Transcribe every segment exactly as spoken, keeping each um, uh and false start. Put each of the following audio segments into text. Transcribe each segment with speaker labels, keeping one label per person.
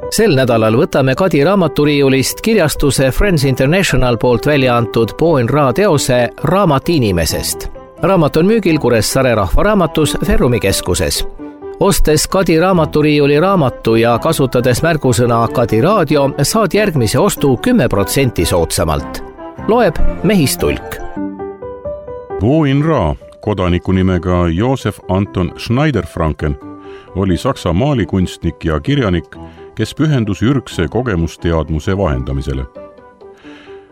Speaker 1: Sel nädalal võtame Kadi raamaturiiulist kirjastuse Friends International poolt välja antud Boen Ra teose Raamat inimesest. Raamat on müügil Kuressaare rahvaraamatus Ferrumi keskuses. Ostes Kadi raamaturiiuli raamatu ja kasutades märgusõna Kadi raadio, saad järgmise ostu kümme protsenti soodsamalt. Loeb Mehistulk.
Speaker 2: Boen Ra, kodaniku nimega Josef Anton Schneider-Franken, oli Saksa maalikunstnik ja kirjanik, kes pühendus ürgse kogemusteadmuse vahendamisele.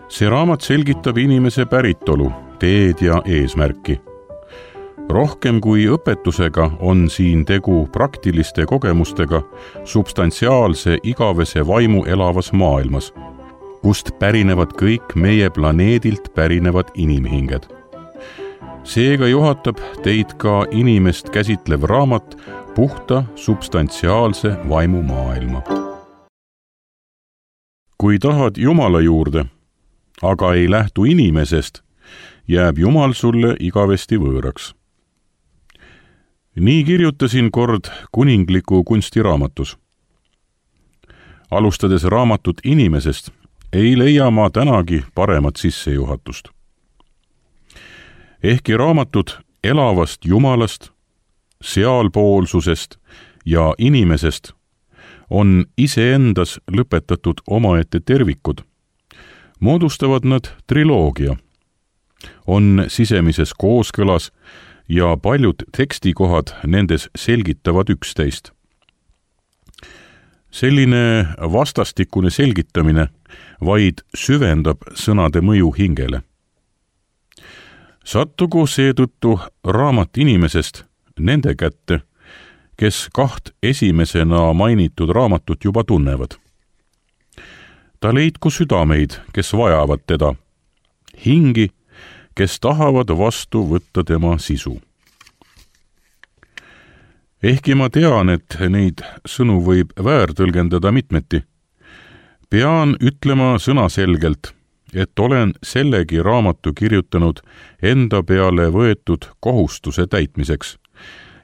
Speaker 2: See raamat selgitab inimese päritolu, teed ja eesmärki. Rohkem kui õpetusega on siin tegu praktiliste kogemustega substantsiaalse igavese vaimu elavas maailmas, kust pärinevad kõik meie planeedilt pärinevad inimhinged. Seega juhatab teid ka inimest käsitlev raamat puhta substantsiaalse vaimu maailma. Kui tahad Jumala juurde, aga ei lähtu inimesest, jääb Jumal sulle igavesti võõraks. Nii kirjutasin kord kuningliku kunstiraamatus. Alustades raamatut inimesest, ei leia ma tänagi paremat sissejuhatust. Ehkki raamatud elavast Jumalast, sealpoolsusest ja inimesest on iseendas lõpetatud omaette tervikud, moodustavad nad triloogia, on sisemises kooskõlas ja paljud tekstikohad nendes selgitavad üksteist. Selline vastastikune selgitamine vaid süvendab sõnade mõju hingele. Sattugu seetõttu raamat inimesest nende kätte, kes kaht esimesena mainitud raamatut juba tunnevad. Ta leidku südameid, kes vajavad teda, hingi, kes tahavad vastu võtta tema sisu. Ehkki ma tean, et neid sõnu võib väärtõlgendada mitmeti, pean ütlema sõnaselgelt, et olen sellegi raamatu kirjutanud enda peale võetud kohustuse täitmiseks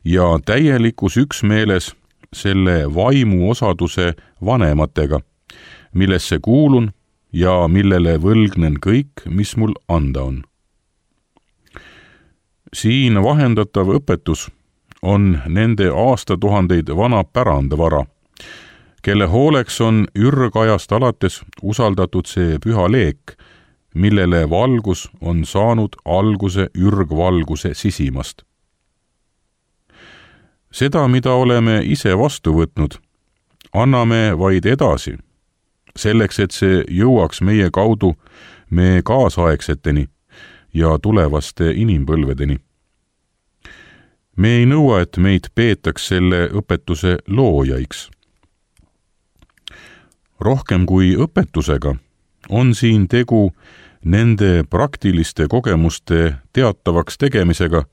Speaker 2: ja täielikus üksmeeles selle vaimu osaduse vanematega, millesse kuulun ja millele võlgnen kõik, mis mul anda on. Siin vahendatav õpetus on nende aastatuhandeid vana pärandvara, kelle hooleks on ürgajast alates usaldatud see püha leek, millele valgus on saanud alguse ürgvalguse sisimast. Seda, mida oleme ise vastu võtnud, anname vaid edasi, selleks, et see jõuaks meie kaudu me kaasaegseteni ja tulevaste inimpõlvedeni. Me ei nõua, et meid peetaks selle õpetuse loojaiks. Rohkem kui õpetusega on siin tegu nende praktiliste kogemuste teatavaks tegemisega,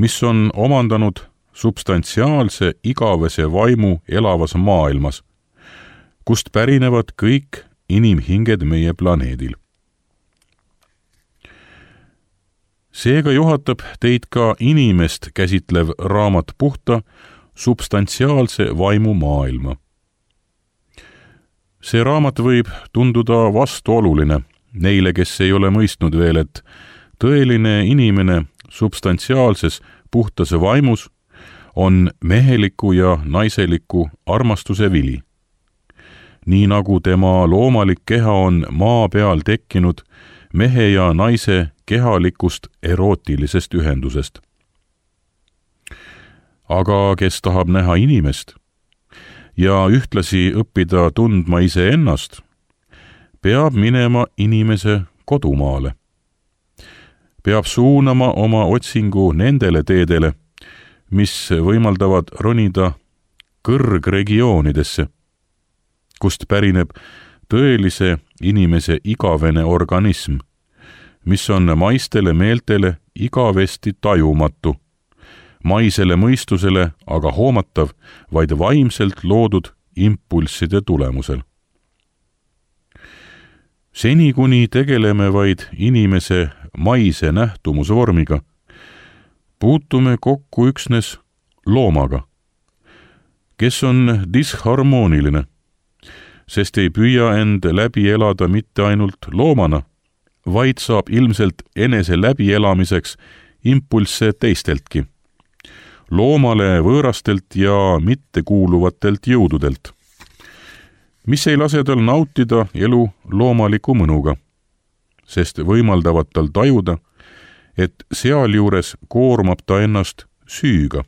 Speaker 2: mis on omandanud substantsiaalse igavese vaimu elavas maailmas, kust pärinevad kõik inimhinged meie planeedil. Seega juhatab teid ka inimest käsitlev raamat puhta substantsiaalse vaimu maailma. See raamat võib tunduda vastuoluline neile, kes ei ole mõistnud veel, et tõeline inimene substantsiaalses puhtas vaimus on meheliku ja naiseliku armastuse vili. Nii nagu tema loomalik keha on maa peal tekkinud mehe ja naise kehalikust erootilisest ühendusest. Aga kes tahab näha inimest ja ühtlasi õppida tundma iseennast, peab minema inimese kodumaale. Peab suunama oma otsingu nendele teedele, mis võimaldavad ronida kõrgregioonidesse, kust pärineb tõelise inimese igavene organism, mis on maistele meeltele igavesti tajumatu, maisele mõistusele aga hoomatav vaid vaimselt loodud impulsside tulemusel. Seni kuni tegeleme vaid inimese maise nähtumusvormiga, puutume kokku üksnes loomaga, kes on disharmooniline sest ei püüa end läbi elada mitte ainult loomana, vaid saab ilmselt enese läbielamiseks impulsse teisteltki, loomale võõrastelt ja mittekuuluvatelt jõududelt, mis ei lase tal nautida elu loomaliku mõnuga, sest võimaldavad tal tajuda, et sealjuures koormab ta ennast süüga.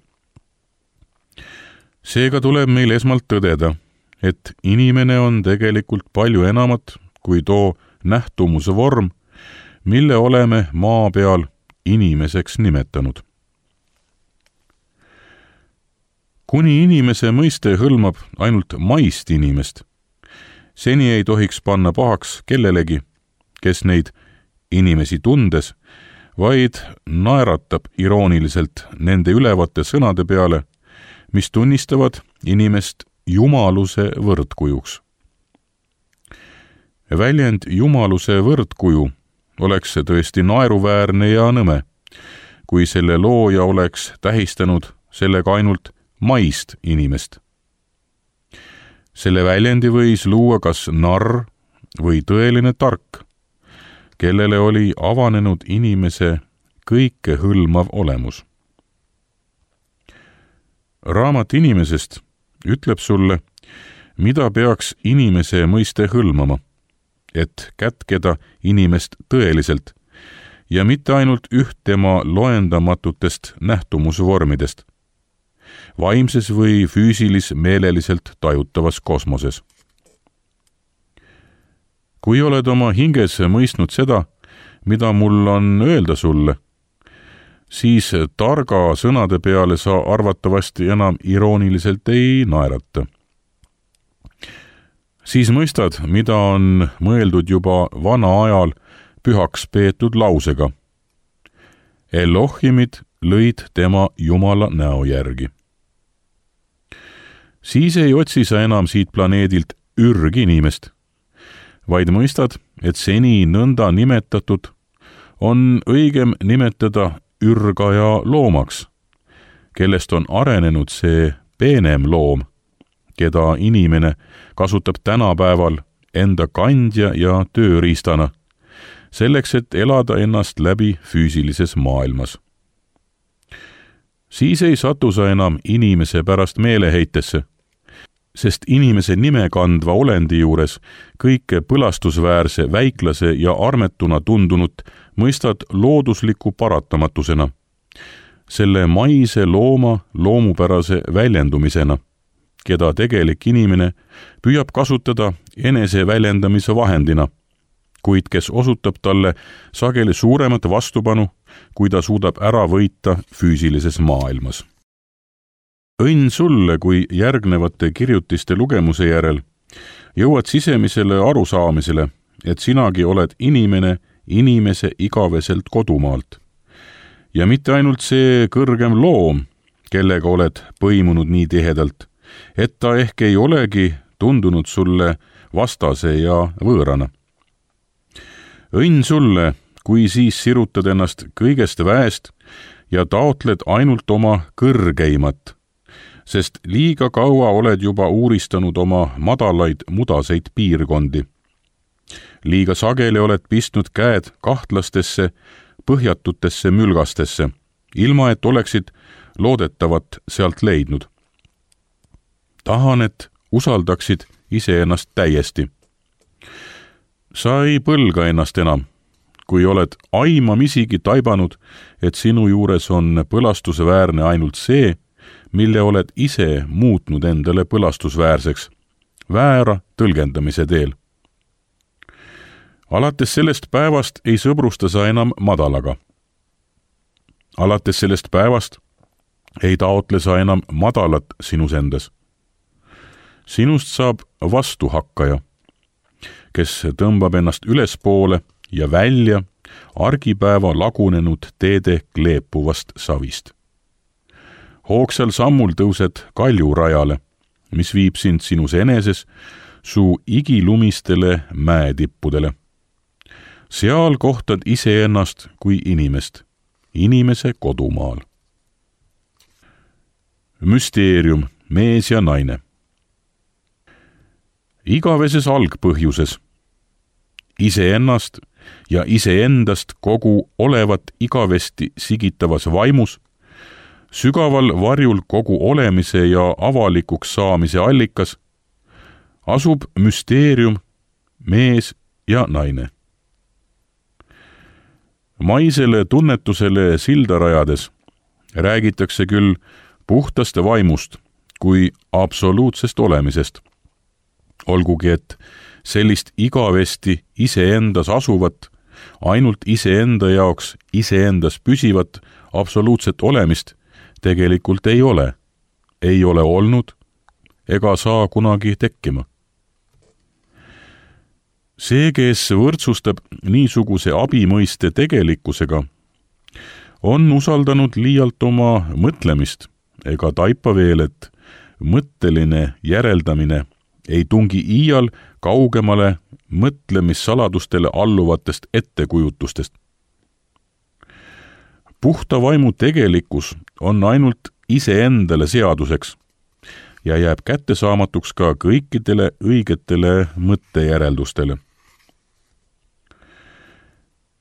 Speaker 2: Seega tuleb meil esmalt tõdeda, et inimene on tegelikult palju enamat kui too nähtumuse vorm, mille oleme maa peal inimeseks nimetanud. Kuni inimese mõiste hõlmab ainult maist inimest, seni ei tohiks panna pahaks kellelegi, kes neid inimesi tundes, vaid naeratab irooniliselt nende ülevate sõnade peale, mis tunnistavad inimest jumaluse võrdkujuks. Väljend jumaluse võrdkuju oleks tõesti naeruväärne ja nõme, kui selle looja oleks tähistanud sellega ainult maist inimest. Selle väljendi võis luua kas narr või tõeline tark, kellele oli avanenud inimese kõikehõlmav olemus. Raamat inimesest ütleb sulle, mida peaks inimese mõiste hõlmama, et kätkeda inimest tõeliselt ja mitte ainult üht tema loendamatutest nähtumusvormidest, vaimses või füüsilis-meeleliselt tajutavas kosmoses. Kui oled oma hinges mõistnud seda, mida mul on öelda sulle, siis targa sõnade peale sa arvatavasti enam irooniliselt ei naerata. Siis mõistad, mida on mõeldud juba vana ajal pühaks peetud lausega. Elohimid lõid tema Jumala näo järgi. Siis ei otsi sa enam siit planeedilt ürginimest, vaid mõistad, et seni nõnda nimetatud on õigem nimetada ürgaja loomaks, kellest on arenenud see peenem loom, keda inimene kasutab tänapäeval enda kandja ja tööriistana, selleks, et elada ennast läbi füüsilises maailmas. Siis ei satu sa enam inimese pärast meeleheitesse, sest inimese nime kandva olendi juures kõike põlastusväärse, väiklase ja armetuna tundunut mõistad loodusliku paratamatusena, selle maise looma loomupärase väljendumisena, keda tegelik inimene püüab kasutada enese väljendamise vahendina, kuid kes osutab talle sageli suuremat vastupanu, kui ta suudab ära võita füüsilises maailmas. Õnn sulle, kui järgnevate kirjutiste lugemuse järel jõuad sisemisele arusaamisele, et sinagi oled inimene inimese igaveselt kodumaalt. Ja mitte ainult see kõrgem loom, kellega oled põimunud nii tihedalt, et ta ehk ei olegi tundunud sulle vastase ja võõrana. Õnn sulle, kui siis sirutad ennast kõigest väest ja taotled ainult oma kõrgeimat, sest liiga kaua oled juba uuristanud oma madalaid mudaseid piirkondi. Liiga sageli oled pistnud käed kahtlastesse, põhjatutesse mülgastesse, ilma et oleksid loodetavat sealt leidnud. Tahan, et usaldaksid iseennast täiesti. Sa ei põlga ennast enam, kui oled aimamisigi taibanud, et sinu juures on põlastusväärne ainult see, mille oled ise muutnud endale põlastusväärseks, väära tõlgendamise teel. Alates sellest päevast ei sõbrusta sa enam madalaga. Alates sellest päevast ei taotle sa enam madalat sinus endas. Sinust saab vastuhakkaja, kes tõmbab ennast ülespoole ja välja argipäeva lagunenud teede kleepuvast savist. Hoogsal sammul tõused kaljurajale, mis viib sind sinus eneses su igilumistele mäetippudele. Seal kohtad iseennast kui inimest, inimese kodumaal. Müsteerium, mees ja naine. igaveses algpõhjuses, iseennast ja iseendast kogu olevat igavesti sigitavas vaimus, sügaval varjul kogu olemise ja avalikuks saamise allikas, asub müsteerium, mees ja naine. Maisele tunnetusele silda rajades räägitakse küll puhtast vaimust kui absoluutsest olemisest, olgugi et sellist igavesti iseendas asuvat, ainult iseenda jaoks iseendas püsivat absoluutset olemist tegelikult ei ole, ei ole olnud ega saa kunagi tekkima. See, kes võrdsustab niisuguse abimõiste tegelikkusega, on usaldanud liialt oma mõtlemist ega taipa veel, et mõtteline järeldamine ei tungi iial kaugemale mõtlemissaladustele alluvatest ettekujutustest. Puhta vaimu tegelikkus on ainult iseendale seaduseks ja jääb kättesaamatuks ka kõikidele õigetele mõttejäreldustele.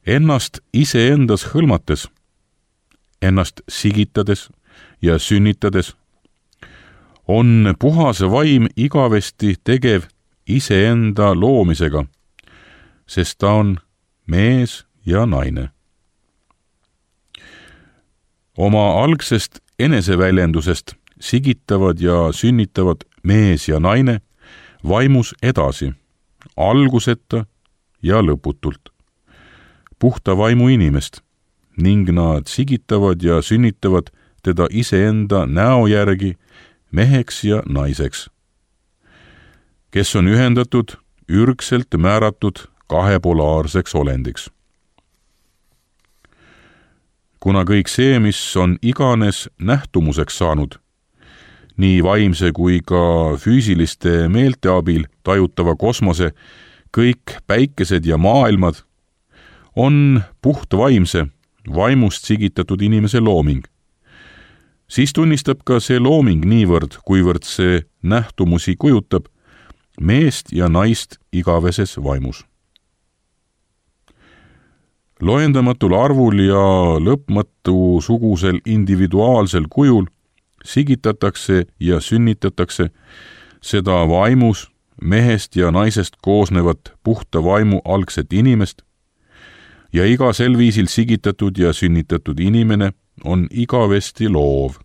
Speaker 2: Ennast iseendas hõlmates, ennast sigitades ja sünnitades on puhas vaim igavesti tegev iseenda loomisega, sest ta on mees ja naine. Oma algsest eneseväljendusest sigitavad ja sünnitavad mees ja naine vaimus edasi, alguseta ja lõputult, puhta vaimu inimest, ning nad sigitavad ja sünnitavad teda iseenda näo järgi meheks ja naiseks, kes on ühendatud ürgselt määratud kahepolaarseks olendiks. Kuna kõik see, mis on iganes nähtumuseks saanud, nii vaimse kui ka füüsiliste meelte abil tajutava kosmose, kõik päikesed ja maailmad, on puht vaimse, vaimust sigitatud inimese looming, siis tunnistab ka see looming niivõrd, kuivõrd see nähtumusi kujutab, meest ja naist igaveses vaimus. Loendamatul arvul ja lõpmatu sugusel individuaalsel kujul sigitatakse ja sünnitatakse seda vaimus mehest ja naisest koosnevat puhta vaimu algset inimest ja iga sel viisil sigitatud ja sünnitatud inimene on igavesti loov,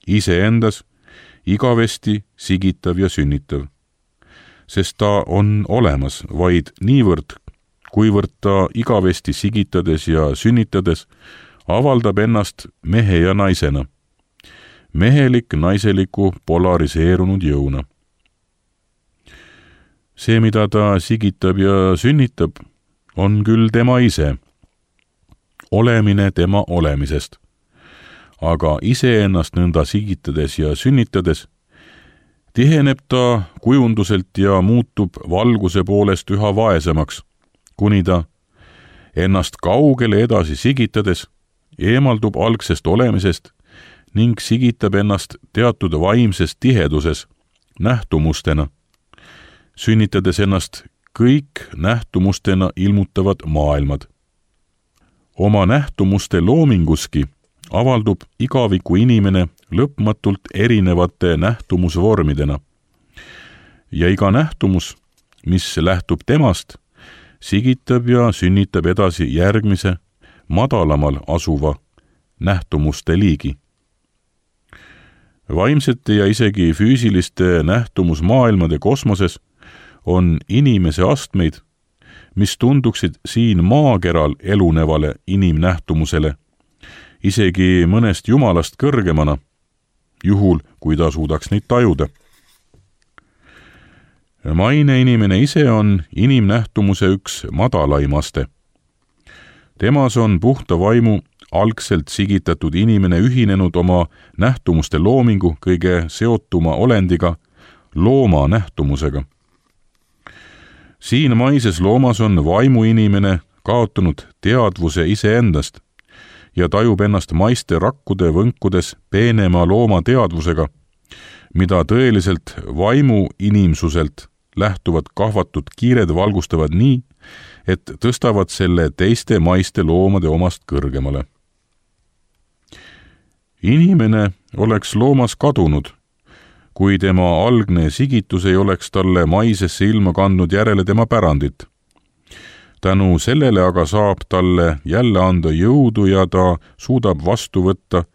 Speaker 2: iseendas igavesti sigitav ja sünnitav, sest ta on olemas vaid niivõrd, kuivõrd ta igavesti sigitades ja sünnitades avaldab ennast mehe ja naisena, mehelik naiseliku polariseerunud jõuna. See, mida ta sigitab ja sünnitab, on küll tema ise, olemine tema olemisest, aga iseennast nõnda sigitades ja sünnitades tiheneb ta kujunduselt ja muutub valguse poolest üha vaesemaks, kuni ta ennast kaugele edasi sigitades eemaldub algsest olemisest ning sigitab ennast teatud vaimses tiheduses nähtumustena, sünnitades ennast kõik nähtumustena ilmutavad maailmad. Oma nähtumuste loominguski avaldub igaviku inimene lõpmatult erinevate nähtumusvormidena. Ja iga nähtumus, mis lähtub temast, sigitab ja sünnitab edasi järgmise, madalamal asuva nähtumuste liigi. Vaimsete ja isegi füüsiliste nähtumusmaailmade kosmoses on inimese astmeid, mis tunduksid siin maakeral elunevale inimnähtumusele, isegi mõnest jumalast kõrgemana, juhul kui ta suudaks neid tajuda. Maine inimene ise on inimnähtumuse üks madalaimaste. Temas on puhta vaimu algselt sigitatud inimene ühinenud oma nähtumuste loomingu kõige seotuma olendiga, looma nähtumusega. Siin maises loomas on vaimu inimene kaotanud teadvuse iseendast ja tajub ennast maiste rakkude võnkudes peenema looma teadvusega, mida tõeliselt vaimu inimsuselt lähtuvad kahvatud kiired valgustavad nii, et tõstavad selle teiste maiste loomade omast kõrgemale. Inimene oleks loomas kadunud, kui tema algne sigitus ei oleks talle maisesse ilma kandnud järele tema pärandit. Tänu sellele aga saab talle jälle anda jõudu ja ta suudab vastu võtta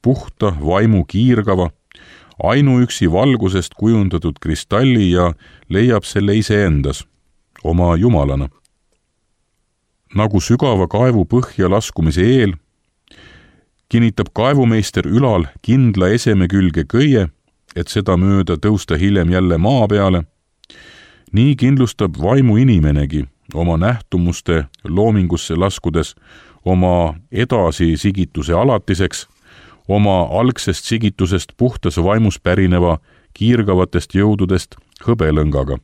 Speaker 2: puhta vaimu kiirgava, ainuüksi valgusest kujundatud kristalli ja leiab selle iseendas, oma jumalana. Nagu sügava kaevu põhja laskumise eel, kinnitab kaevumeister ülal kindla eseme külge köie, et seda mööda tõusta hiljem jälle maa peale, nii kindlustab vaimu inimenegi oma nähtumuste loomingusse laskudes oma edasi sigituse alatiseks, oma algsest sigitusest puhtas vaimus pärineva kiirgavatest jõududest hõbelõngaga.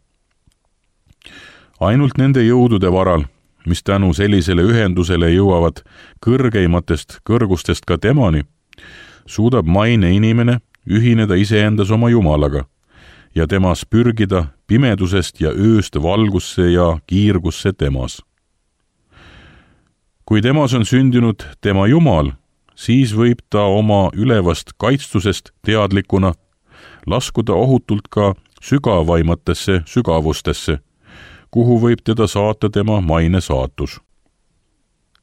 Speaker 2: Ainult nende jõudude varal, mis tänu sellisele ühendusele jõuavad kõrgeimatest kõrgustest ka temani, suudab maine inimene ühineda iseendas oma Jumalaga ja temas pürgida pimedusest ja ööst valgusse ja kiirgusse temas. Kui temas on sündinud tema Jumal, siis võib ta oma ülevast kaitstusest teadlikuna laskuda ohutult ka sügavaimatesse sügavustesse, kuhu võib teda saata tema maine saatus.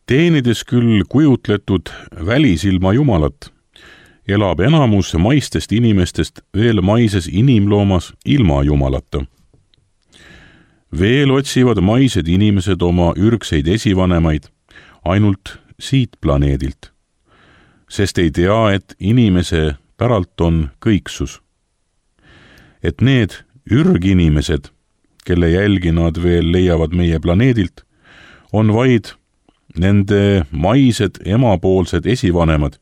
Speaker 2: Teenides küll kujutletud välisilma Jumalat, elab enamus maistest inimestest veel maises inimloomas ilma Jumalata. Veel otsivad maised inimesed oma ürgseid esivanemaid ainult siit planeedilt, sest ei tea, et inimese päralt on kõiksus. Et need ürginimesed, kelle jälgi nad veel leiavad meie planeedilt, on vaid nende maised emapoolsed esivanemad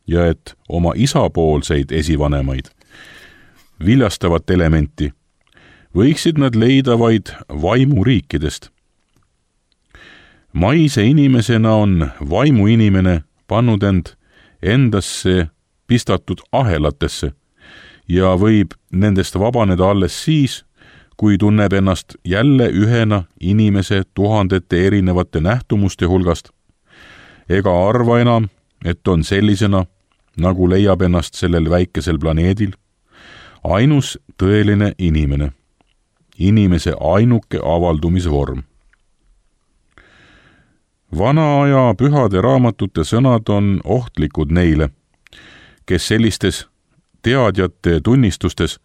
Speaker 2: ja et oma isapoolseid esivanemaid, viljastavat elementi, võiksid nad leida vaid vaimuriikidest. Maise inimesena on vaimuinimene pannud end endasse pistatud ahelatesse ja võib nendest vabaneda alles siis, kui tunneb ennast jälle ühena inimese tuhandete erinevate nähtumuste hulgast, ega arva enam, et on sellisena, nagu leiab ennast sellel väikesel planeedil, ainus tõeline inimene, inimese ainuke avaldumisvorm. Vana aja pühade raamatute sõnad on ohtlikud neile, kes sellistes teadjate tunnistustes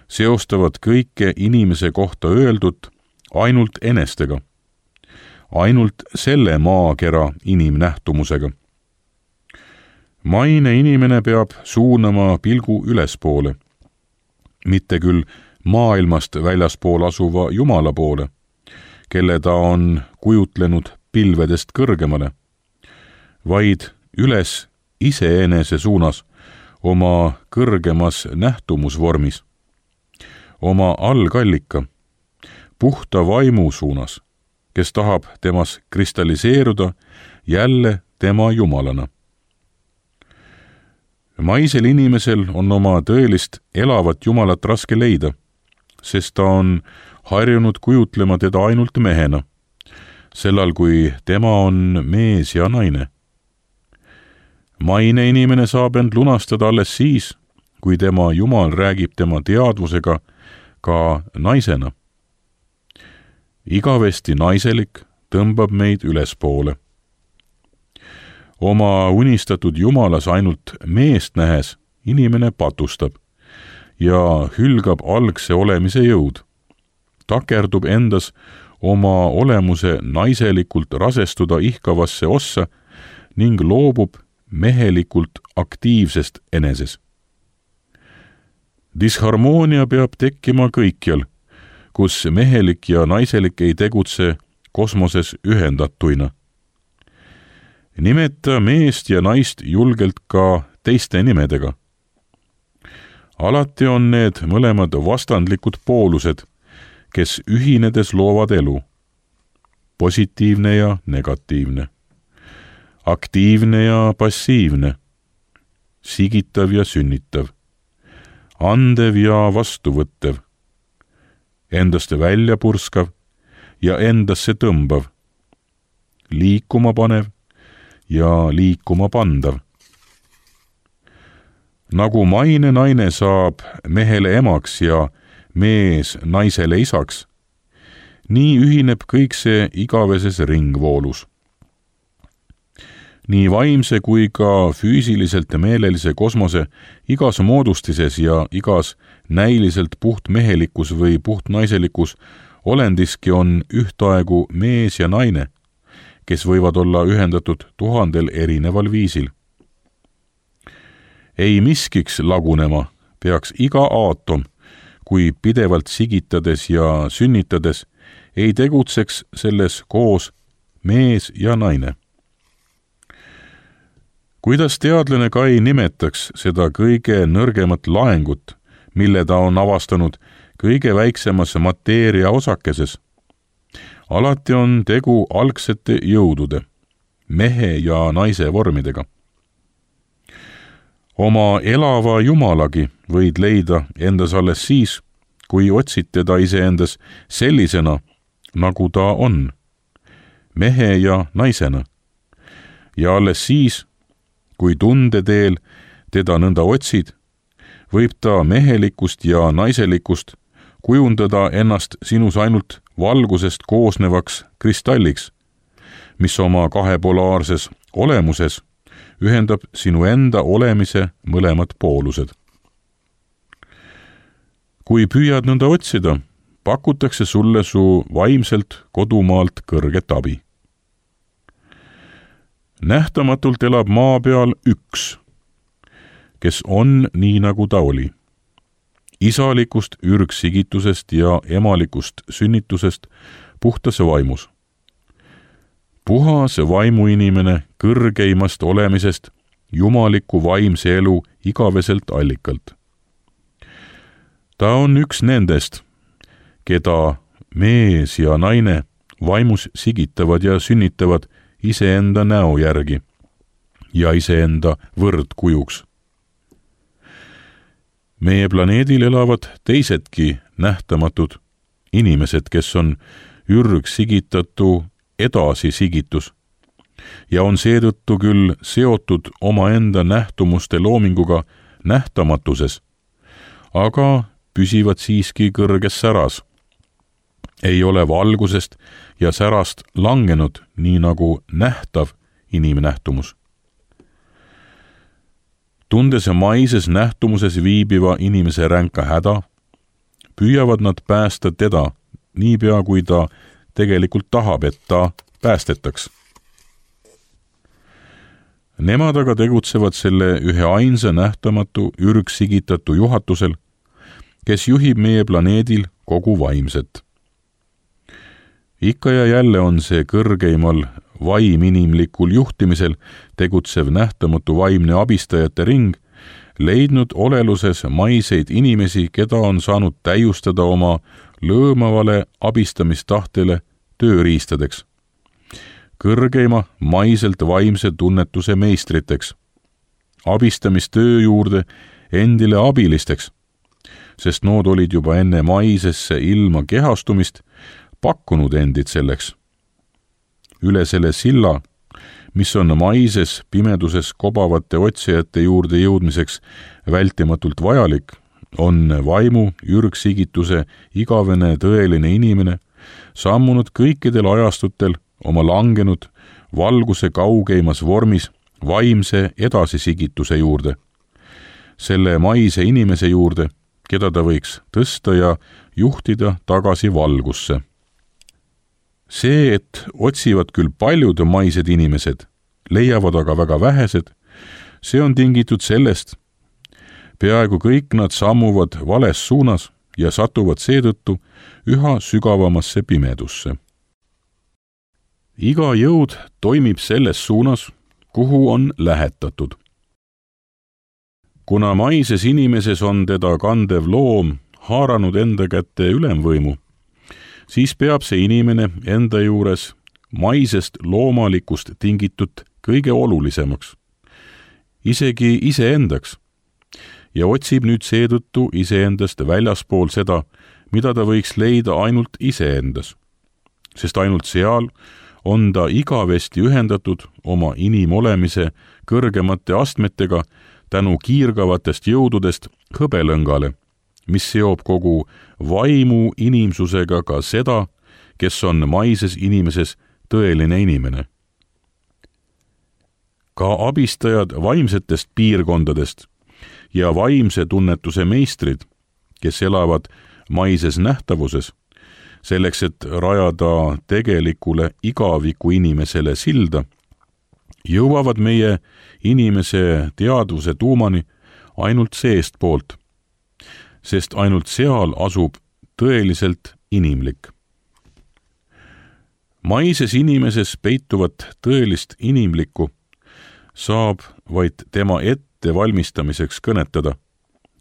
Speaker 2: seostavad kõike inimese kohta öeldut ainult enestega, ainult selle maakera inimnähtumusega. Maine inimene peab suunama pilgu ülespoole, mitte küll maailmast väljaspool asuva Jumala poole, kelle ta on kujutlenud pilvedest kõrgemale, vaid üles iseenese suunas oma kõrgemas nähtumusvormis, oma algallika, puhta vaimu suunas, kes tahab temas kristalliseeruda jälle tema Jumalana. Maisel inimesel on oma tõelist elavat Jumalat raske leida, sest ta on harjunud kujutlema teda ainult mehena, sellal kui tema on mees ja naine. Maine inimene saab end lunastada alles siis, kui tema Jumal räägib tema teadvusega ka naisena. Igavesti naiselik tõmbab meid ülespoole. Oma unistatud Jumalas ainult meest nähes inimene patustab ja hülgab algse olemise jõud, takerdub endas oma olemuse naiselikult rasestuda ihkavasse ossa ning loobub mehelikult aktiivsest eneses. Disharmoonia peab tekkima kõikjal, kus mehelik ja naiselik ei tegutse kosmoses ühendatuina. Nimeta meest ja naist julgelt ka teiste nimedega. Alati on need mõlemad vastandlikud poolused, kes ühinedes loovad elu, positiivne ja negatiivne, aktiivne ja passiivne, sigitav ja sünnitav, andev ja vastuvõttev, endast välja purskav ja endasse tõmbav, liikuma panev ja liikuma pandav. Nagu maine naine saab mehele emaks ja mees naisele isaks, nii ühineb kõik see igaveses ringvoolus. Nii vaimse kui ka füüsiliselt ja meelelise kosmose igas moodustises ja igas näiliselt puhtmehelikus või puhtnaiselikus olendiski on ühtaegu mees ja naine, kes võivad olla ühendatud tuhandel erineval viisil. Ei miskiks lagunema peaks iga aatom, kui pidevalt sigitades ja sünnitades ei tegutseks selles koos mees ja naine. Kuidas teadlane ka ei nimetaks seda kõige nõrgemat laengut, mille ta on avastanud kõige väiksemas mateeria osakeses, alati on tegu algsete jõudude, mehe ja naise vormidega. Oma elava jumalagi võid leida endas alles siis, kui otsid teda iseendas sellisena, nagu ta on, mehe ja naisena, ja alles siis, kui tundeteel teda nõnda otsid, võib ta mehelikust ja naiselikust kujundada ennast sinus ainult valgusest koosnevaks kristalliks, mis oma kahepolaarses olemuses ühendab sinu enda olemise mõlemad poolused. Kui püüad nõnda otsida, pakutakse sulle su vaimselt kodumaalt kõrget abi. Nähtamatult elab maa peal üks, kes on nii, nagu ta oli. Isalikust ürgsigitusest ja emalikust sünnitusest puhtas vaimus. Puhas vaimuinimene kõrgeimast olemisest jumaliku vaimse elu igaveselt allikalt. Ta on üks nendest, keda mees ja naine vaimus sigitavad ja sünnitavad iseenda näo järgi ja iseenda võrdkujuks. Meie planeedil elavad teisedki nähtamatud inimesed, kes on ürgsigitatu edasisigitus ja on seetõttu küll seotud omaenda nähtumuste loominguga nähtamatuses, aga püsivad siiski kõrges säras. Ei ole valgusest ja särast langenud nii nagu nähtav inimnähtumus. Tundes maises nähtumuses viibiva inimese ränka häda, püüavad nad päästa teda niipea, kui ta tegelikult tahab, et ta päästetaks. Nemad aga tegutsevad selle ühe ainsa nähtamatu ürgsigitatu juhatusel, kes juhib meie planeedil kogu vaimset. Ikka ja jälle on see kõrgeimal vaiminimlikul juhtimisel tegutsev nähtamatu vaimne abistajate ring leidnud oleluses maiseid inimesi, keda on saanud täiustada oma lõõmavale abistamistahtele tööriistadeks, kõrgeima maiselt vaimse tunnetuse meistriteks, abistamistöö juurde endile abilisteks, sest nood olid juba enne maisesse ilma kehastumist pakkunud endid selleks. Üle selle silla, mis on maises pimeduses kobavate otsijate juurde jõudmiseks vältimatult vajalik, on vaimu ürgsigituse igavene tõeline inimene sammunud kõikidel ajastutel oma langenud valguse kaugeimas vormis vaimse edasisigituse juurde, selle maise inimese juurde, keda ta võiks tõsta ja juhtida tagasi valgusse. See, et otsivad küll paljud maised inimesed, leiavad aga väga vähesed, see on tingitud sellest, peaaegu kõik nad sammuvad vales suunas ja satuvad seetõttu üha sügavamasse pimedusse. Iga jõud toimib selles suunas, kuhu on lähetatud. Kuna maises inimeses on teda kandev loom haaranud enda kätte ülemvõimu, siis peab see inimene enda juures maisest loomalikust tingitud kõige olulisemaks, isegi iseendaks, ja otsib nüüd seetõttu iseendast väljaspool seda, mida ta võiks leida ainult iseendas, sest ainult seal on ta igavesti ühendatud oma inimolemise kõrgemate astmetega tänu kiirgavatest jõududest hõbelõngale, mis seob kogu vaimu inimsusega ka seda, kes on maises inimeses tõeline inimene. Ka abistajad vaimsetest piirkondadest ja vaimse tunnetuse meistrid, kes elavad maises nähtavuses, selleks, et rajada tegelikule igaviku inimesele silda, jõuavad meie inimese teadvuse tuumani ainult seestpoolt, sest ainult seal asub tõeliselt inimlik. Maises inimeses peituvat tõelist inimlikku saab vaid tema ettevalmistamiseks kõnetada,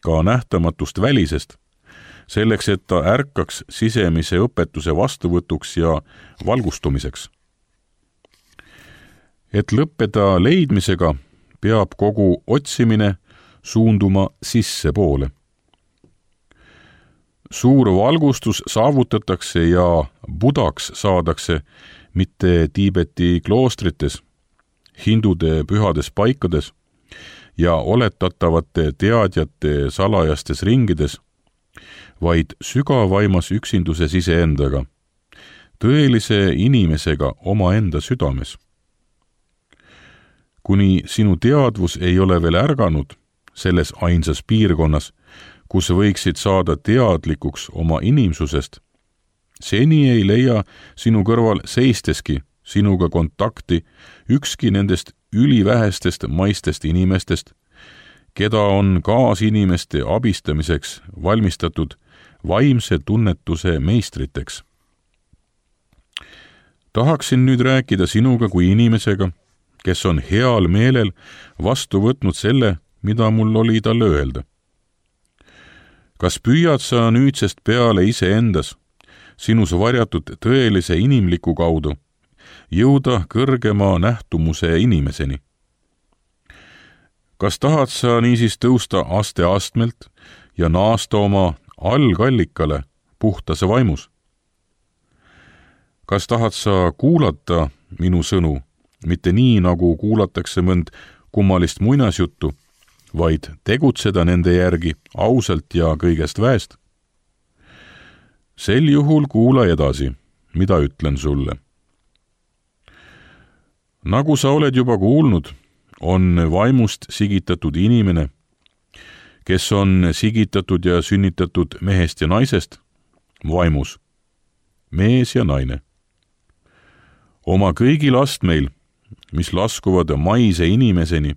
Speaker 2: ka nähtamatust välisest, selleks, et ta ärkaks sisemise õpetuse vastuvõtuks ja valgustumiseks. Et lõppeda leidmisega, peab kogu otsimine suunduma sissepoole. Suur valgustus saavutatakse ja budaks saadakse mitte Tiibeti kloostrites, hindude pühades paikades ja oletatavate teadjate salajastes ringides, vaid sügavaimas üksinduses iseendaga, tõelise inimesega omaenda südames. Kuni sinu teadvus ei ole veel ärganud selles ainsas piirkonnas, kus võiksid saada teadlikuks oma inimsusest, seni ei leia sinu kõrval seisteski sinuga kontakti ükski nendest ülivähestest maistest inimestest, keda on kaasinimeste abistamiseks valmistatud vaimse tunnetuse meistriteks. Tahaksin nüüd rääkida sinuga kui inimesega, kes on heal meelel vastu võtnud selle, mida mul oli talle öelda. Kas püüad sa nüüdsest peale iseendas, sinus varjatud tõelise inimliku kaudu, jõuda kõrgema nähtumuse inimeseni? Kas tahad sa niisiis tõusta aste astmelt ja naasta oma algallikale puhtase vaimus? Kas tahad sa kuulata minu sõnu, mitte nii, nagu kuulatakse mõnd kummalist muinasjuttu, vaid tegutseda nende järgi ausalt ja kõigest väest? Sel juhul kuula edasi, mida ütlen sulle. Nagu sa oled juba kuulnud, on vaimust sigitatud inimene, kes on sigitatud ja sünnitatud mehest ja naisest, vaimus, mees ja naine. Oma kõigil astmeil, mis laskuvad maise inimeseni,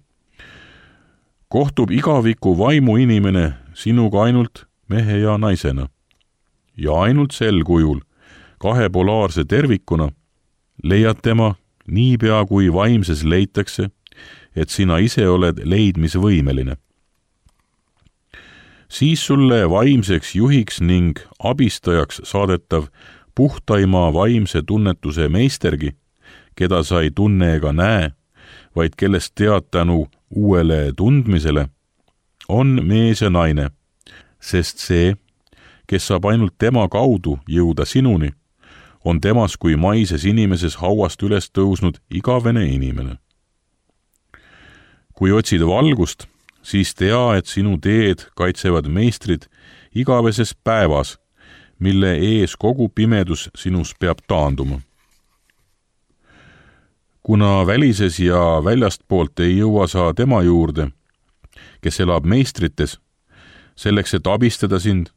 Speaker 2: kohtub igaviku vaimu inimene sinuga ainult mehe ja naisena. Ja ainult sel kujul, kahepolaarse tervikuna, leiad tema niipea kui vaimses leitakse, et sina ise oled leidmisvõimeline. Siis sulle vaimseks juhiks ning abistajaks saadetav puhtaima vaimse tunnetuse meistergi, keda sa ei tunne ega näe, vaid kellest tead tänu uuele tundmisele, on mees ja naine, sest see, kes saab ainult tema kaudu jõuda sinuni, on temas kui maises inimeses hauast üles tõusnud igavene inimene. Kui otsid valgust, siis tea, et sinu teed kaitsevad meistrid igaveses päevas, mille ees kogu pimedus sinus peab taanduma. Kuna välises ja väljastpoolt ei jõua sa tema juurde, kes elab meistrites, selleks, et abistada sind,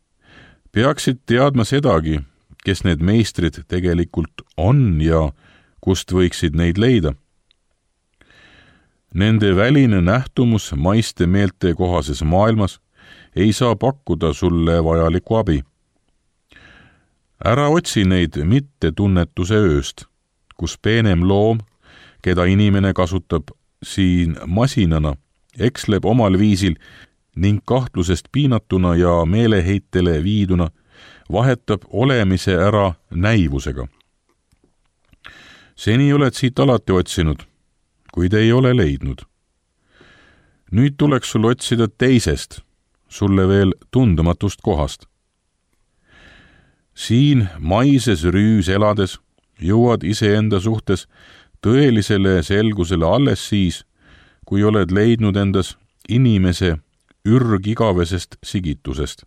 Speaker 2: peaksid teadma sedagi, kes need meistrid tegelikult on ja kust võiksid neid leida. Nende väline nähtumus maiste meelte kohases maailmas ei saa pakkuda sulle vajalikku abi. Ära otsi neid mitte tunnetuse ööst, kus peenem loom, keda inimene kasutab siin masinana, eksleb omal viisil ning kahtlusest piinatuna ja meeleheitele viiduna vahetab olemise ära näivusega. Seni oled siit alati otsinud, kuid ei ole leidnud. Nüüd tuleks sul otsida teisest, sulle veel tundematust kohast. siin maises rüüs elades jõuad iseenda suhtes tõelisele selgusele alles siis, kui oled leidnud endas inimese ürgigavesest sigitusest.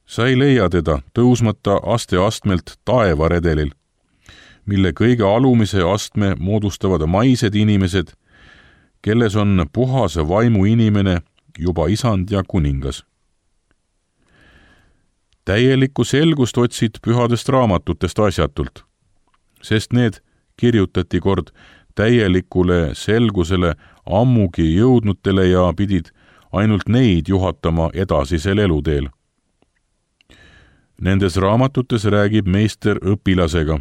Speaker 2: Sa ei leia teda tõusmata aste-astmelt taevaredelil, mille kõige alumise astme moodustavad maised inimesed, kelles on puhas vaimu inimene juba isand ja kuningas. Täielikku selgust otsid pühadest raamatutest asjatult, sest need kirjutati kord täielikule selgusele ammugi jõudnutele ja pidid ainult neid juhatama edasisel eluteel. Nendes raamatutes räägib meister õpilasega,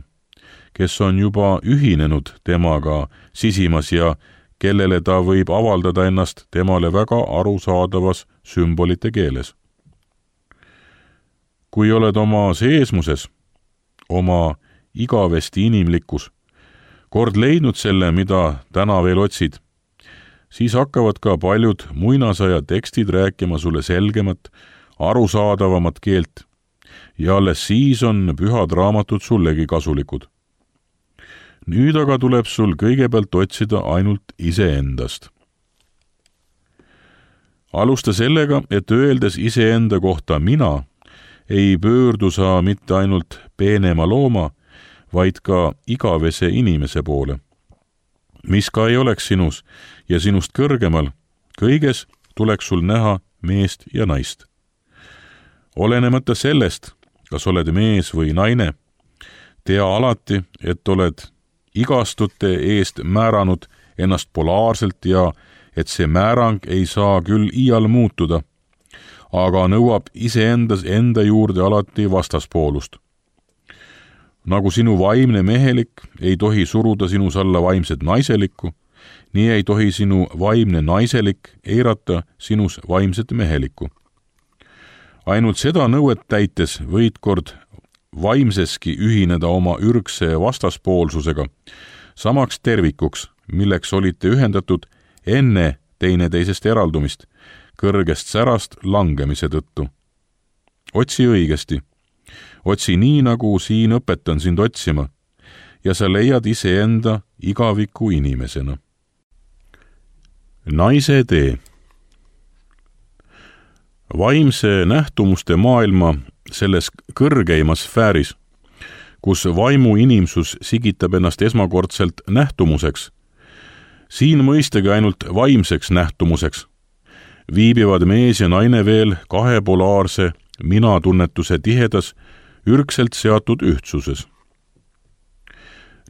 Speaker 2: kes on juba ühinenud temaga sisimas ja kellele ta võib avaldada ennast temale väga arusaadavas sümbolite keeles. Kui oled oma seesmuses, oma igavesti inimlikkus, kord leidnud selle, mida täna veel otsid, siis hakkavad ka paljud muinasaja tekstid rääkima sulle selgemat, arusaadavamat keelt ja alles siis on pühad raamatud sullegi kasulikud. Nüüd aga tuleb sul kõigepealt otsida ainult iseendast. Alusta sellega, et öeldes iseenda kohta mina, ei pöördu sa mitte ainult peenema looma, vaid ka igavese inimese poole. Mis ka ei oleks sinus ja sinust kõrgemal, kõiges tuleks sul näha meest ja naist. Olenemata sellest, kas oled mees või naine, tea alati, et oled igastute eest määranud ennast polaarselt ja et see määrang ei saa küll iial muutuda, aga nõuab iseendas enda juurde alati vastaspoolust. Nagu sinu vaimne mehelik ei tohi suruda sinus alla vaimset naiselikku, nii ei tohi sinu vaimne naiselik eirata sinus vaimset mehelikku. Ainult seda nõuet täites võid kord vaimseski ühineda oma ürgse vastaspoolsusega, samaks tervikuks, milleks olite ühendatud enne teineteisest eraldumist, kõrgest särast langemise tõttu. Otsi õigesti. Otsi nii, nagu siin õpetan sind otsima, ja sa leiad iseenda igaviku inimesena. Naise tee. Vaimse nähtumuste maailma selles kõrgeimas sfääris, kus vaimu inimsus sigitab ennast esmakordselt nähtumuseks, siin mõistagi ainult vaimseks nähtumuseks, viibivad mees ja naine veel kahepolaarse minatunnetuse tihedas, ürgselt seatud ühtsuses.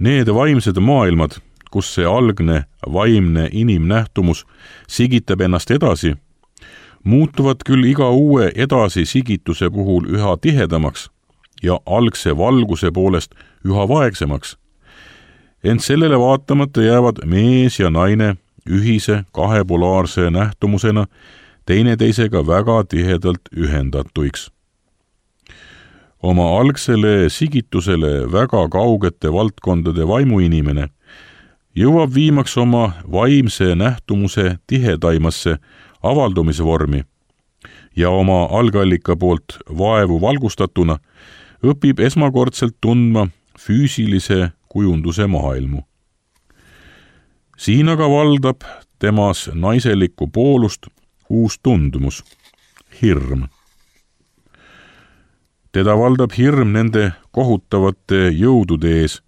Speaker 2: Need vaimsed maailmad, kus see algne vaimne inimnähtumus sigitab ennast edasi, muutuvad küll iga uue edasi sigituse puhul üha tihedamaks ja algse valguse poolest üha vaegsemaks. Ent sellele vaatamata jäävad mees ja naine ühise kahepolaarse nähtumusena teineteisega väga tihedalt ühendatuiks. Oma algsele sigitusele väga kaugete valdkondade vaimuinimene jõuab viimaks oma vaimse nähtumuse tihedaimasse avaldumisvormi ja oma algallika poolt vaevu valgustatuna õpib esmakordselt tundma füüsilise kujunduse maailmu. Siin aga valdab temas naiselikku poolust uus tundumus, hirm. Teda valdab hirm nende kohutavate jõudude ees,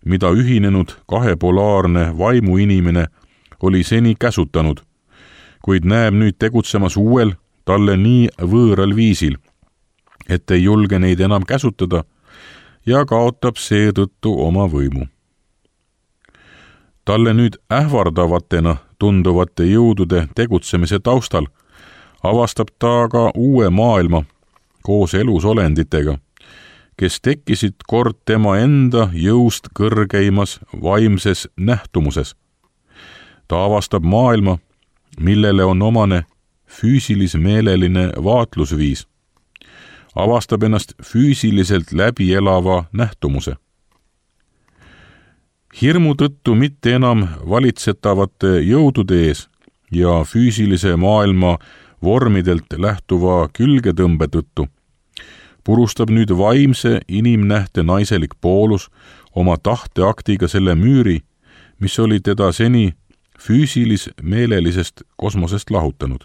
Speaker 2: mida ühinenud kahepolaarne vaimuinimene oli seni käsutanud, kuid näeb nüüd tegutsemas uuel, talle nii võõral viisil, et ei julge neid enam käsutada ja kaotab seetõttu oma võimu. Talle nüüd ähvardavatena tunduvate jõudude tegutsemise taustal avastab ta ka uue maailma koos elusolenditega, kes tekkisid kord tema enda jõust kõrgeimas vaimses nähtumuses. Ta avastab maailma, millele on omane füüsilis-meeleline vaatlusviis, avastab ennast füüsiliselt läbi elava nähtumuse. Hirmu tõttu mitte enam valitsetavate jõudude ees ja füüsilise maailma vormidelt lähtuva külgetõmbe tõttu purustab nüüd vaimse inimnähte naiselik poolus oma tahteaktiga selle müüri, mis oli teda seni füüsilis-meelelisest kosmosest lahutanud.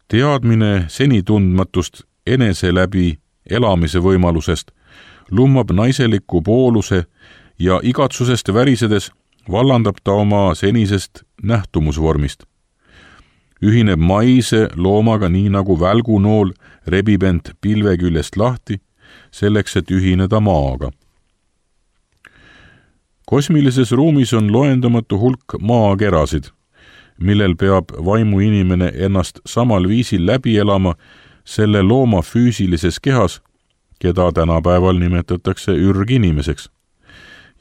Speaker 2: Teadmine seni tundmatust enese läbi elamise võimalusest lummab naiseliku pooluse ja igatsusest värisedes vallandab ta oma senisest nähtumusvormist. Ühineb maise loomaga nii nagu välgunool rebib end pilve küljest lahti, selleks et ühineda maaga. Kosmilises ruumis on loendamatu hulk maakerasid, millel peab vaimu inimene ennast samal viisil läbi elama selle looma füüsilises kehas, keda tänapäeval nimetatakse ürginimeseks,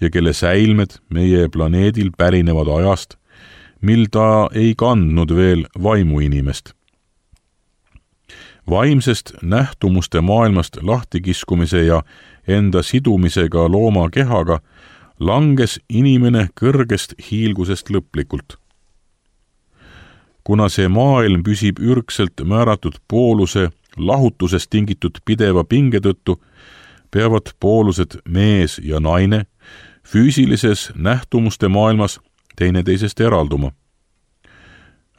Speaker 2: ja kelle säilmed meie planeedil pärinevad ajast, mil ta ei kandnud veel vaimu inimest. Vaimsest nähtumuste maailmast lahtikiskumise ja enda sidumisega looma kehaga langes inimene kõrgest hiilgusest lõplikult. Kuna see maailm püsib ürgselt määratud pooluse lahutusest tingitud pideva pinge tõttu, peavad poolused mees ja naine füüsilises nähtumuste maailmas teineteisest eralduma.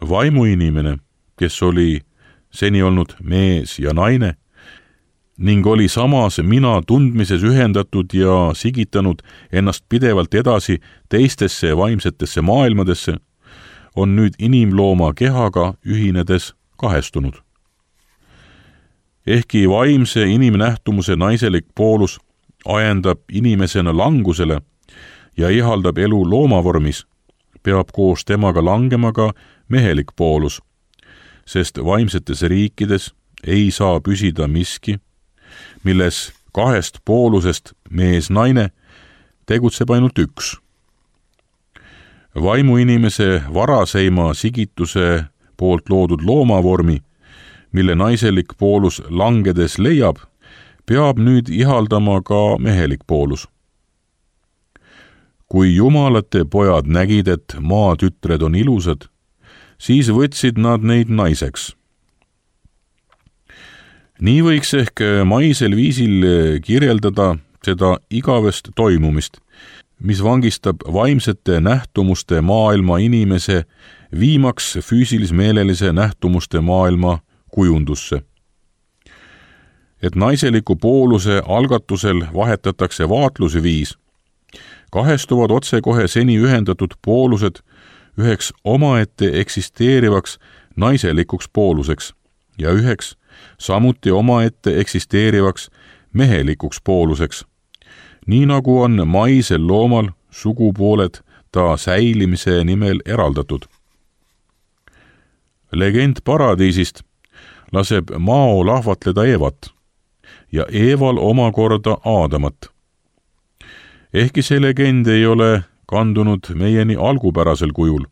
Speaker 2: Vaimuinimene, kes oli seni olnud mees ja naine ning oli samas mina tundmises ühendatud ja sigitanud ennast pidevalt edasi teistesse vaimsetesse maailmadesse, on nüüd inimlooma kehaga ühinedes kahestunud. Ehkki vaimse inimnähtumuse naiselik poolus ajendab inimesena langusele ja ihaldab elu loomavormis, peab koos temaga langema ka mehelik poolus, sest vaimsetes riikides ei saa püsida miski, milles kahest poolusest mees-naine tegutseb ainult üks. Vaimuinimese varaseima sigituse poolt loodud loomavormi, mille naiselik poolus langedes leiab, peab nüüd ihaldama ka mehelik poolus. Kui jumalate pojad nägid, et maatütred on ilusad, siis võtsid nad neid naiseks. Nii võiks ehk maisel viisil kirjeldada seda igavest toimumist, mis vangistab vaimsete nähtumuste maailma inimese viimaks füüsilis-meelelise nähtumuste maailma kujundusse. Et naiseliku pooluse algatusel vahetatakse vaatlusviis, kahestuvad otsekohe seni ühendatud poolused üheks omaette eksisteerivaks naiselikuks pooluseks ja üheks samuti omaette eksisteerivaks mehelikuks pooluseks, nii nagu on maisel loomal sugupooled ta säilimise nimel eraldatud. Legend paradiisist laseb Mao lahvatleda Eevat ja Eeval omakorda Aadamat. Ehkki see legend ei ole kandunud meieni algupärasel kujul,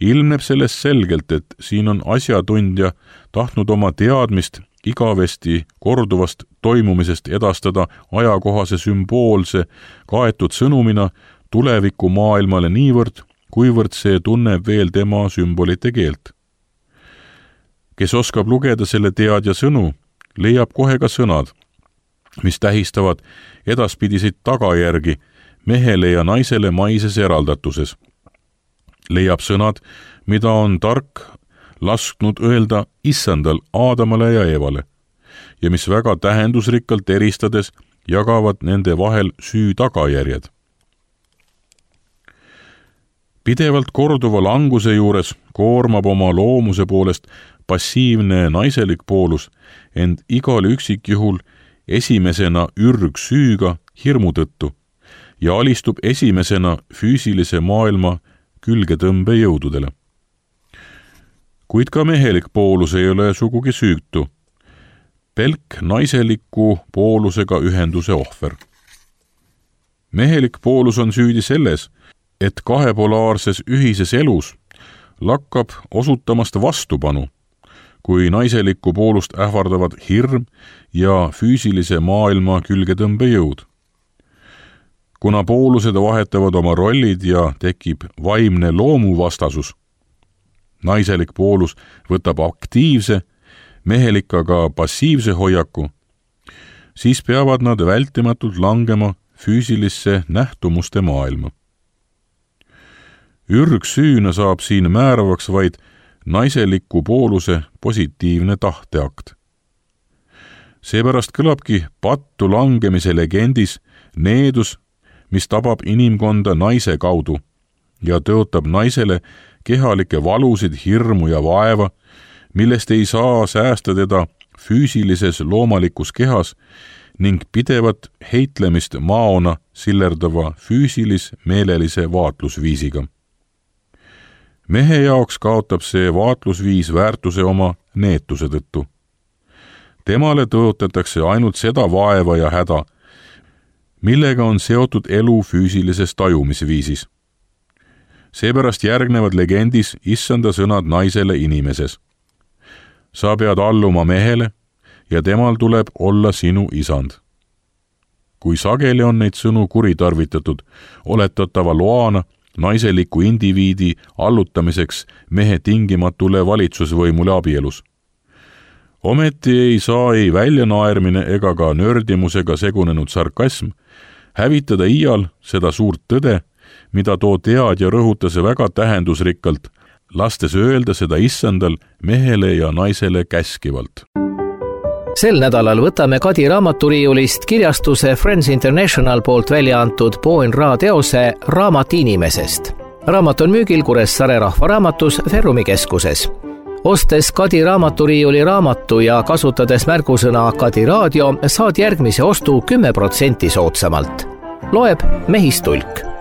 Speaker 2: ilmneb sellest selgelt, et siin on asjatundja tahtnud oma teadmist igavesti korduvast toimumisest edastada ajakohase sümboolse kaetud sõnumina tuleviku maailmale niivõrd, kuivõrd see tunneb veel tema sümbolite keelt. Kes oskab lugeda selle teadja sõnu, leiab kohe ka sõnad, mis tähistavad edaspidiseid tagajärgi mehele ja naisele maises eraldatuses. Leiab sõnad, mida on tark lasknud öelda issandal Aadamale ja Eevale ja mis väga tähendusrikkalt eristades jagavad nende vahel süü tagajärjed. Pidevalt korduva languse juures koormab oma loomuse poolest passiivne naiselik poolus end igal üksikjuhul esimesena ürgsüüga hirmu tõttu ja alistub esimesena füüsilise maailma külgetõmbe jõududele. Kuid ka mehelik poolus ei ole sugugi süütu. Pelk naiseliku poolusega ühenduse ohver. Mehelik poolus on süüdi selles, et kahepolaarses ühises elus lakkab osutamast vastupanu, kui naiselikku poolust ähvardavad hirm ja füüsilise maailma külgetõmbe jõud. Kuna poolused vahetavad oma rollid ja tekib vaimne loomuvastasus, naiselik poolus võtab aktiivse, mehelik aga passiivse hoiaku, siis peavad nad vältimatult langema füüsilisse nähtumuste maailma. Ürgsüüna saab siin määravaks vaid naiseliku pooluse positiivne tahteakt. Seepärast kõlabki pattu langemise legendis needus, mis tabab inimkonda naise kaudu ja tõotab naisele kehalikke valusid, hirmu ja vaeva, millest ei saa säästa teda füüsilises loomalikus kehas ning pidevat heitlemist maona sillerdava füüsilis-meelelise vaatlusviisiga. Mehe jaoks kaotab see vaatlusviis väärtuse oma neetuse tõttu. Temale tõotatakse ainult seda vaeva ja häda, millega on seotud elu füüsilises tajumisviisis. Seepärast järgnevad legendis issanda sõnad naisele inimeses. Sa pead alluma mehele ja temal tuleb olla sinu isand. Kui sageli on neid sõnu kuritarvitatud, oletatava loana naiseliku indiviidi allutamiseks mehe tingimatule valitsusvõimule abielus. Ometi ei saa ei väljanaermine ega ka nördimusega segunenud sarkasm hävitada iial seda suurt tõde, mida too teadja rõhutas väga tähendusrikkalt, lastes öelda seda issandal mehele ja naisele käskivalt.
Speaker 1: Sel nädalal võtame Kadi raamaturiiulist kirjastuse Friends International poolt välja antud Po N Ra teose Raamat inimesest. Raamat on müügil Kuressaare rahvaraamatus Ferrumi keskuses. Ostes Kadi raamaturiiuli raamatu ja kasutades märgusõna Kadi raadio, saad järgmise ostu kümme protsenti soodsamalt. Loeb Mehistulk.